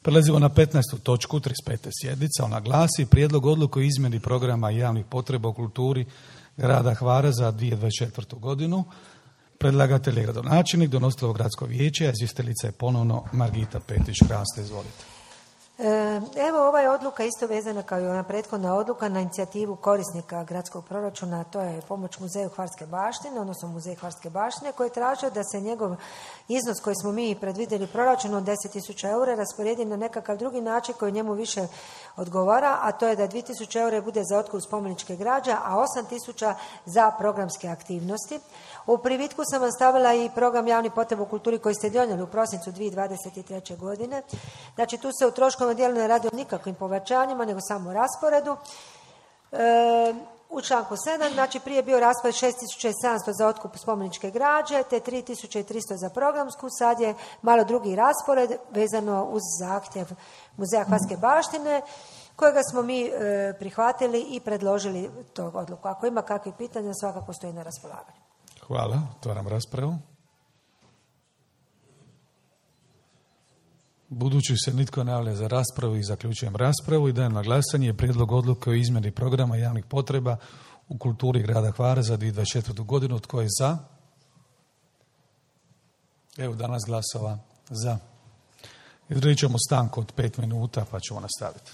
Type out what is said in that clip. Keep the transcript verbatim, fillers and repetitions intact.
Prelazimo na petnaestu točku trideset pete sjednice. Ona glasi Prijedlog odluke o izmjeni programa javnih potreba u kulturi grada Hvara za dvije tisuće dvadeset četvrtu godinu. Predlagatelj je gradonačelnik, donositelj gradsko vijeće, a izvjestiteljica je ponovno Margita Petić-Kraste. Izvolite. Evo, ova je odluka isto vezana kao i ona prethodna odluka na inicijativu korisnika gradskog proračuna, to je pomoć muzeju Hvarske baštine, odnosno muzej Hvarske baštine, koji je tražio da se njegov iznos koji smo mi predvidjeli proračun od deset tisuća eura rasporedi na nekakav drugi način koji njemu više odgovara, a to je da dvije tisuće eura bude za otkup spomeničke građe, a osam tisuća za programske aktivnosti. U privitku sam vam stavila i program javnih potreba u kulturi koji ste donijeli u prosincu dvije tisuće dvadeset treće. godine. Znači, tu se u troškovnom dijelu ne radi o nikakvim povećanjima, nego samo o rasporedu. E, u članku sedam, znači prije je bio raspored šest tisuća sedamsto za otkup spomeničke građe, te tri tisuće tristo za programsku, sad je malo drugi raspored vezano uz zahtjev muzeja Hvarske baštine, kojega smo mi e, prihvatili i predložili tog odluku. Ako ima kakvih pitanja, svakako stoji na raspolaganju. Hvala. Otvaram raspravu. Budući se nitko ne javlja za raspravu i zaključujem raspravu i dajem na glasanje prijedlog odluke o izmjeni programa javnih potreba u kulturi grada Hvara za dvije tisuće dvadeset četvrtu. godinu. Tko je za? Evo danas glasova za. Izradit ćemo stanku od pet minuta pa ćemo nastaviti.